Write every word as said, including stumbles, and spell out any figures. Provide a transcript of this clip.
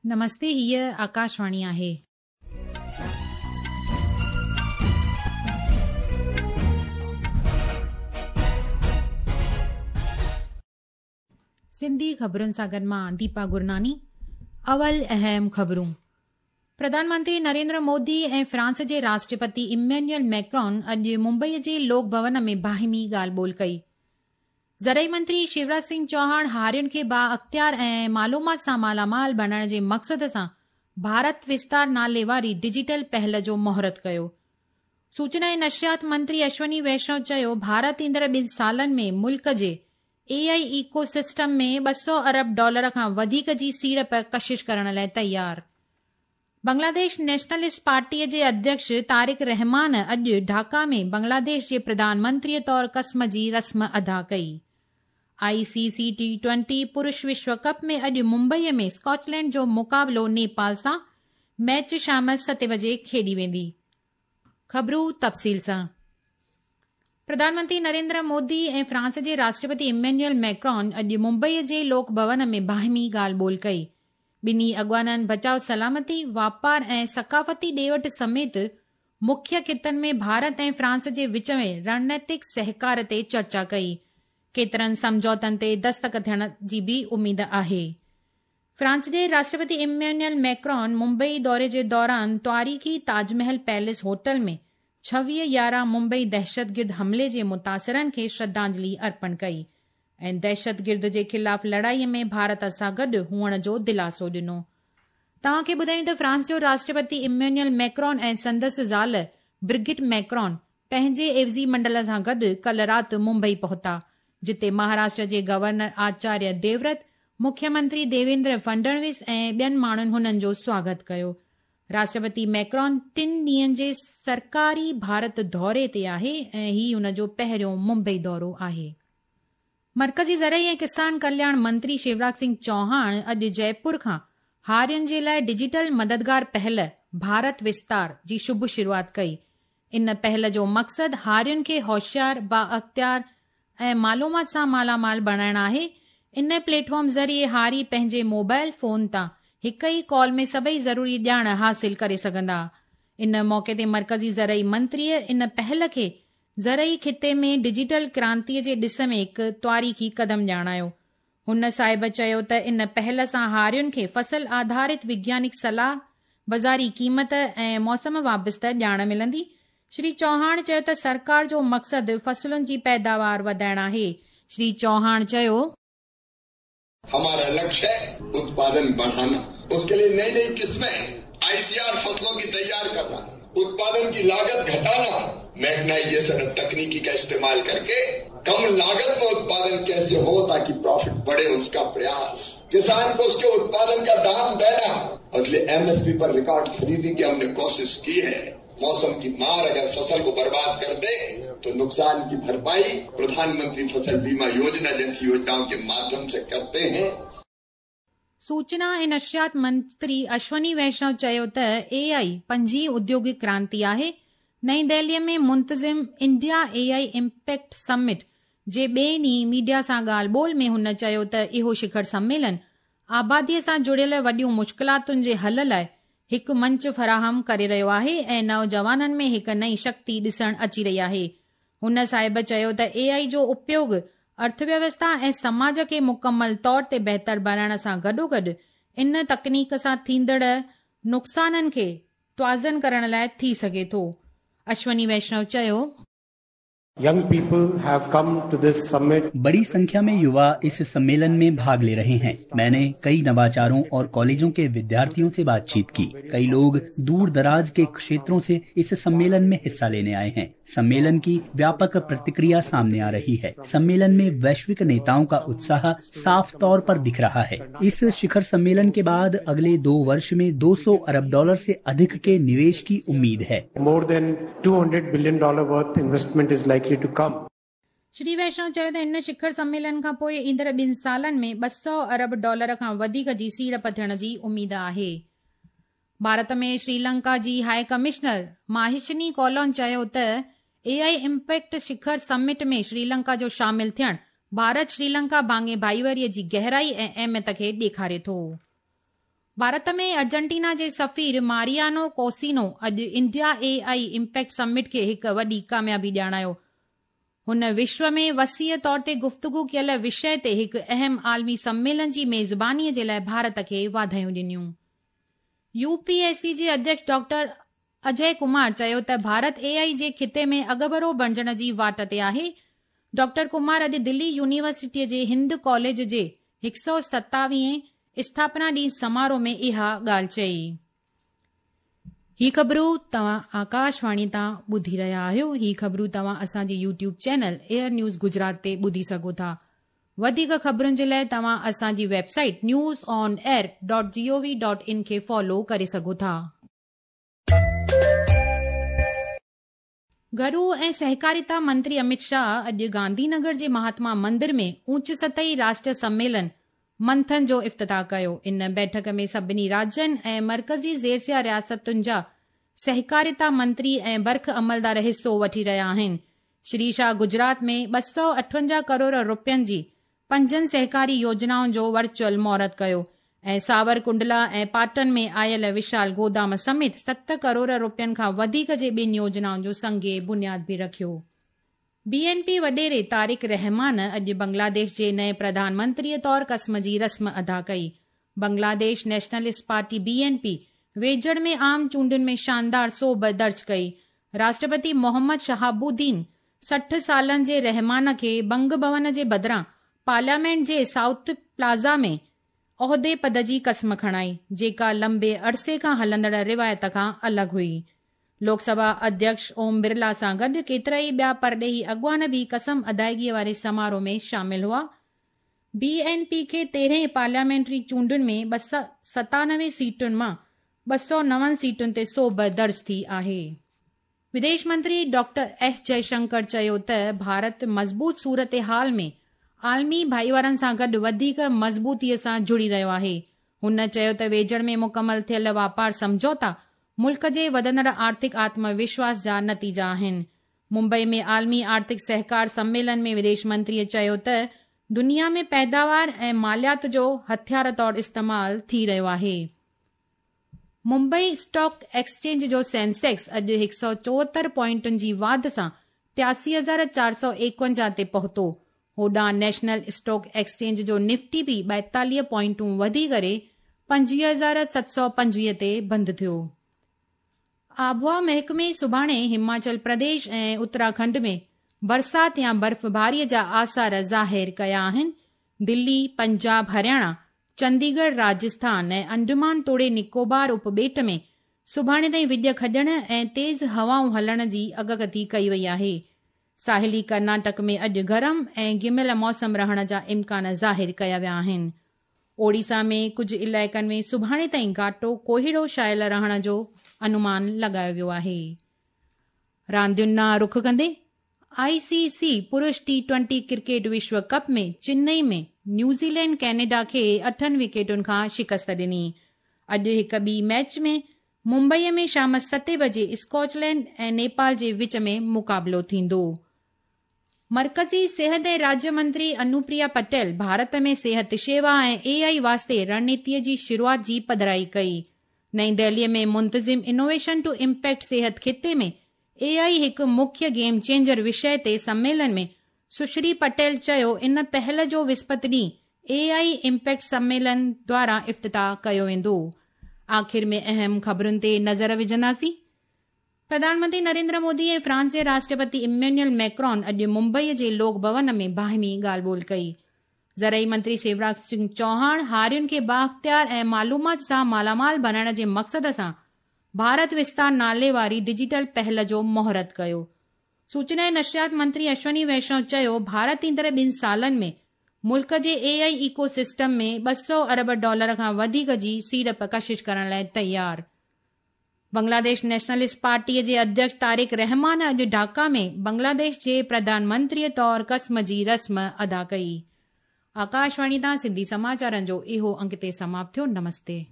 نمستي، هيءَ آڪاشواڻي آهي. سنڌي خبرن سان گڏ مان ديپا گرناني. اول اهم خبرون. پرڌان منتري نريندر مودي ۽ فرانس جي راشٽرپتي ايمينيول ميڪرون اڄ ممبئي جي لوڪ ڀون ۾ باهمي ڳالهه ٻولهه ڪئي. زرعي منتري شيوراج سنگهه چوهاڻ هارين کي با اختيار ۽ معلومات سان مالامال بڻائڻ جي مقصد سان ڀارت وستار نالي واري ڊجيٽل پهل جو مهورت ڪيو. سوچنا ۽ نشريات منتري اشوني ويشنو چيو ڀارت ايندڙ ٻن سالن ۾ ملڪ جي اي آئي ايڪو سسٽم ۾ ٻه سؤ ارب ڊالر کان وڌيڪ جي سيڙپ ڪشش ڪرڻ لاءِ تيار. بنگلاديش نيشنلسٽ پارٽيءَ جي اڌيڪش طارق رحمان اڄ ڍاڪا ۾ بنگلاديش جي پرڌان منتريءَ طور قسم جي رسم ادا ڪئي. I C C T twenty پرش وشو ڪپ ۾ اڄ ممبئيءَ ۾ اسڪاٽلينڊ جو مقابلو نيپال سان، ميچ شام ستين بجي کيڏي ويندي. خبرون تفصيل سان. پرڌان منتري نريندر مودي ۽ فرانس جي راشٽرپتي ايمينيول ميڪرون اڄ ممبئيءَ جي لوڪ ڀون ۾ باهمي ڳالهه ٻولهه ڪئي. ٻنهي اڳواڻن بچاءُ، سلامتي، واپار ۽ ثقافتي ڏي وٺ سميت مکيه خطن ۾ ڀارت ۽ فرانس جي وچ ۾ رڻنيتڪ سهڪار تي چرچا ڪئي. ڪيترن سمجهوتن تي دستخط ٿيڻ جي به اميد آهي. فرانس جي راشٽرپتي ايمينيول ميڪرون ممبئي دوري جي دوران تاريخي تاج محل پيلس هوٽل ۾ ڇويهه يارهن ممبئي دهشتگرد حملي جي متاثرن کي شرڌانجلي ارپڻ ڪئي ۽ دهشتگرد جي خلاف لڙائيءَ ۾ ڀارت سان گڏ هئڻ جو دلاسو ڏنو. توهان کي ٻڌايون ته فرانس جو راشٽرپتي ايمينيول ميڪرون ۽ سندس زال برگٽ ميڪرون پنهنجي عيوضي منڊل سان گڏ ڪالهه رات ممبئي پهتا، جتي مهاراشٽر جي گورنر آچاريه ديوورت، مکيه منتري ديويندر فڊنويس ۽ ٻين ماڻهن هنن جو سواگت ڪيو. راشٽرپتي ميڪرون ٽن ڏينهن جي سرڪاري ڀارت دوري تي آهي ۽ هي هن جو پهريون ممبئي دورو آهي. مرڪزي زرعي ۽ ڪسان ڪلياڻ منتري شيوراج سنگهه چوهاڻ اڄ جئپور کان هارين جي لاءِ ڊجيٽل مددگار پهل ڀارت وستار جي شڀ شروعات ڪئي. ان پهل جو مقصد هارين کي هوشيار، با اختيار ۽ معلومات سان مالامال بڻائڻ آهي. ان پليٽ فارم ذريعي هاري پنهنجي موبائل فون تان هڪ ئي ڪال ۾ سڀئي ضروري ڄاڻ حاصل ڪري سگهندا. ان موقعي تي مرڪزي زرعي منتريءَ ان پهل کي زرعي خطي ۾ ڊجيٽل ڪرانتيءَ جي ڏس ۾ هڪ تاريخي قدم ڄاڻايو. هن صاحب چيو ته ان پهل سان هارين کي فصل آڌارت وگيانڪ صلاح، بازاري قيمت ۽ موسم وابسته ڄاڻ ملندي. شري چوهاڻ چيو ته سرڪار جو مقصد فصلن جي پيداوار وڌائڻ آهي. شري چوهاڻ چيو، हमारा लक्ष्य है उत्पादन बढ़ाना, उसके लिए नई नई किस्में आईसीआर फसलों की तैयार करना, उत्पादन की लागत घटाना, मैकनाइजेशन और तकनीकी का इस्तेमाल करके कम लागत में उत्पादन कैसे हो ताकि प्रॉफिट बढ़े, उसका प्रयास, किसान को उसके उत्पादन का दाम देना। और इसलिए एमएसपी पर रिकॉर्ड खरीदी की हमने कोशिश की है। मौसम की मार अगर फसल को बर्बाद कर दे तो नुकसान की भरपाई प्रधानमंत्री फसल बीमा योजना जैसी योजनाओं के माध्यम से करते हैं। सूचना ऐं नशरियात मंत्री अश्वनी वैष्णव चयो त ए आई पंजीं उद्योगिक क्रांति आहे. नई दिल्लीअ में मुंतज़िम इंडिया ए आई इम्पैक्ट समिट जे ॿिए ॾींहुं मीडिया सां ॻाल्हि ॿोल में हुन चयो त इहो शिखर सम्मेलन आबादीअ सां जुड़ियल वॾियूं मुश्किलातुनि जे हल लाइ हिकु मंच फराहम करे रहियो आहे ऐं नौजवाननि में हिकु नई शक्ति ॾिसण अची रही आहे. हुन साहिब चयो त ए आई जो उपयोग अर्थव्यवस्था ऐं समाज खे मुकमल तौर ते बहितर बणाइण सां गॾोगॾु इन तकनीक सां थींदड़ नुक़साननि खे तवाज़न करण लाइ थी सघे थो. अश्वनी वैष्णव चयो, Young people have come to this summit. बड़ी संख्या में युवा इस सम्मेलन में भाग ले रहे हैं। मैंने कई नवाचारों और कॉलेजों के विद्यार्थियों से बातचीत की। कई लोग दूर दराज के क्षेत्रों से इस सम्मेलन में हिस्सा लेने आए हैं। सम्मेलन की व्यापक प्रतिक्रिया सामने आ रही है। सम्मेलन में वैश्विक नेताओं का उत्साह साफ तौर पर दिख रहा है। इस शिखर सम्मेलन के बाद अगले दो वर्ष में दो सौ अरब डॉलर से अधिक के निवेश की उम्मीद है। More than two hundred billion dollar worth investment is likely to come. Shri Vaishnav चयो त इन शिखर सम्मेलन खां पोइ ईंदड़ ॿिनि सालनि में ॿ सौ अरब डॉलर खां वधीक जी सीड़प थियण जी उमेद आहे। भारत में श्रीलंका जी हाई कमिश्नर माहिशनी कोलोन चयो त ए आई इम्पैक्ट शिखर समिट में श्रीलंका जो शामिल थियण भारत श्रीलंका भाङे भाईवारीअ जी गहराई ऐं अहमियत खे ॾेखारे थो। भारत में अर्जेंटीना जे सफ़ीर मारियानो कोसिनो अॼु India A I impact summit खे हिकु वॾी कामयाबी ॼाणायो। हुन विश्व में वसीअ तौर ते गुफ़्तगू कयल विषय ते हिकु अहम आलमी सम्मेलन जी मेज़बानीअ जे लाइ भारत खे वाधायूं ॾिनियूं। यूपीएससी जे अध्यक्ष डॉक्टर अजय कुमार चयो त भारत ए आई जे खिते में अॻभरो बणिजण जी वाट ते आहे। डॉक्टर कुमार अॼु दिल्ली यूनिवर्सिटीअ जे हिंद कॉलेज जे हिकु सौ सतावीह स्थापना ॾींहुं समारोह में इहा ॻाल्हि चई। ही ख़बरूं तव्हां आकाशवाणी तां ॿुधी रहिया आहियो। ही ख़बरूं तव्हां असांजे YouTube channel air news Gujarat ते ॿुधी सघो था। वधीक ख़बरुनि जे लाइ तव्हां असांजी website news on air dot G O V dot in खे फॉलो करे सघो था। घरू ऐं सहकारिता मंत्री अमित शाह अॼु गांधीनगर जे महात्मा मंदिर में ऊंच सतही राष्ट्रीय सम्मेलन मंथन जो इफ्तिताह कयो। इन बैठक में सभिनी राज्यनि ऐं मर्कज़ी ज़ेरसिया रियासतुनि जा सहकारिता मंत्री ऐं बर्ख अमलदार हिसो वठी रहिया आहिनि। श्री शाह गुजरात में ॿ सौ अठवंजाह करोड़ रुपयनि जी पंजनि सहकारी योजनाउनि जो वर्चुअल मुहूर्त कयो ऐं सावरकुंडला ऐं पाटन में आयल विशाल गोदाम समेत सत करोड़ रुपयनि खां वधीक जे ॿिनि योजनाउनि जो संगे बुनियाद बि रखियो। बीएनपी वॾेरे तारिक रहमान अॼु बांग्लादेश जे नए प्रधानमंत्रीअ तौर क़स्म जी रस्म अदा कई। बांग्लादेश नेशनलिस्ट पार्टी बीएनपी वेझड़ में आम चूंडुनि में शानदार सोभ दर्ज कई। राष्ट्रपति मोहम्मद शहाबुद्दीन सठि सालनि जे रहमान खे बंग भवन जे बदिरां पार्लियामेंट जे साउथ प्लाज़ा में ओहदे पद जी क़स्म खणाई, जेका लंबे अरसे खां हलंदड़ रिवायत खां अलॻि हुई। लोकसभा अध्यक्ष ओम बिरला सां गॾु केतिरा ई ॿिया परॾेही अॻुवान बि क़सम अदायगीअ वारे समारोह में शामिल हुआ। बीएनपी खे तेरहं पार्लियामेंटरी चूंडुनि में ॿ सौ सतानवे सीटुनि मां ॿ सौ नवनि सीटुनि ते सोभ दर्ज थी आहे। विदेश मंत्री डॉक्टर एस जयशंकर चयो त भारत मज़बूत सूरत हाल में आलमी भाईवारनि सां गॾु वधीक मज़बूतीअ सां जुड़ी रहियो आहे। हुन चयो त वेझड़ में मुकमल थियल वापार सम्झौता मुल्क जे वधंदड़ आर्थिक आत्मविश्वास जा नतीजा आहिनि। मुंबई में आलमी आर्थिक सहकार सम्मेलन में विदेश मंत्रीअ चयो त दुनिया में पैदावार ऐं मालियात जो हथियार तौर इस्तेमाल थी रहियो आहे। मुंबई स्टॉक एक्सचेंज जो सेंसेक्स अॼु हिकु सौ चोहतरि पॉइंटुनि जी वाध सां टियासी हज़ार चारि सौ एकवंजाह ते पहुतो। होॾां नेशनल स्टॉक एक्सचेंज जो निफ्टी बि ॿाएतालीह पॉइंटूं वधी करे पंजवीह हज़ार सत सौ पंजवीह ते बंदि थियो। आबहवा महकमे सुभाणे हिमाचल प्रदेश ऐं उत्तराखंड में बरसात या बर्फ़बारीअ जा आसार ज़ाहिर कया आहिनि। दिल्ली, पंजाब, हरियाणा, चंडीगढ़, राजस्थान ऐं अंडमान तोड़े निकोबार उपॿेट में सुभाणे ताईं विॼ खॼण ऐं तेज़ हवाऊं हलण जी अॻकथी कई वई आहे। साहिली कर्नाटक में अॼु गरम ऐं गिमियल मौसम रहण जा इम्कान ज़ाहिर कया विया आहिनि। ओडिशा में कुझु इलाइक़नि में सुभाणे ताईं घाटो कोहिड़ो छायल रहण जो अनुमान लॻायो वियो आहे। रांदियुनि ॾांहुं रुख कंदे आईसीसी पुरुष टी ट्वेंटी क्रिकेट विश्व कप में चेन्नई में न्यूज़ीलैंड कैनेडा खे अठनि विकेटुनि खां शिकस्त ॾिनी। अॼु हिकु ॿी मैच में मुंबईअ में शाम सते बजे स्कॉटलैंड ऐं नेपाल जे विच में मुक़ाबिलो थींदो। मर्कज़ी सेहत ऐं राज्य मंत्री अनुप्रिया पटेल भारत में सेहत शेवा ऐं ए आई वास्ते रणनीतीअ जी शुरूआत जी पधराई कई। नई दिल्लीअ में मुंतज़िम इनोवेशन टू इम्पैक्ट सेहत खिते में ए आई हिकु मुख्य गेम चेंजर विषय ते सम्मेलन में सुश्री पटेल चयो इन पहल जो विस्पत ॾींहुं ए I impact सम्मेलन द्वारा इफ्तिताह कयो वेंदो। आख़िर में अहम ख़बरुनि ते नज़र विझंदासीं। प्रधानमंत्री नरेंद्र मोदी ऐं फ्रांस जे राष्ट्रपति इमैनुअल मैक्रॉन अॼु मुंबईअ जे लोक भवन में बाहिमी ॻाल्हि ॿोल कई। ज़रई मंत्री शिवराज सिंह चौहान हारियुनि खे बाअख़्तियार ऐं मालूमात सां मालामाल बणाइण जे मक़सद सां भारत विस्तार नाले वारी डिजिटल पहल जो मुहूर्त कयो। सूचना ऐं नशियात मंत्री अश्वनी वैष्णव चयो भारत ईंदड़ ॿिनि सालनि में मुल्क जे ए आई इकोसिस्टम में ॿ सौ अरब डॉलर खां वधीक जी सीड़प कशिश करण लाइ तयार। बांग्लादेश नेशनलिस्ट पार्टीअ जे अध्यक्ष तारिक रहमान अॼु ढाका में बांग्लादेश जे प्रधानमंत्रीअ तौर क़स्म जी रस्म अदा कई। आकाशवाणी तां सिंधी समाचारनि जो इहो अंक ते समाप्त थियो। नमस्ते।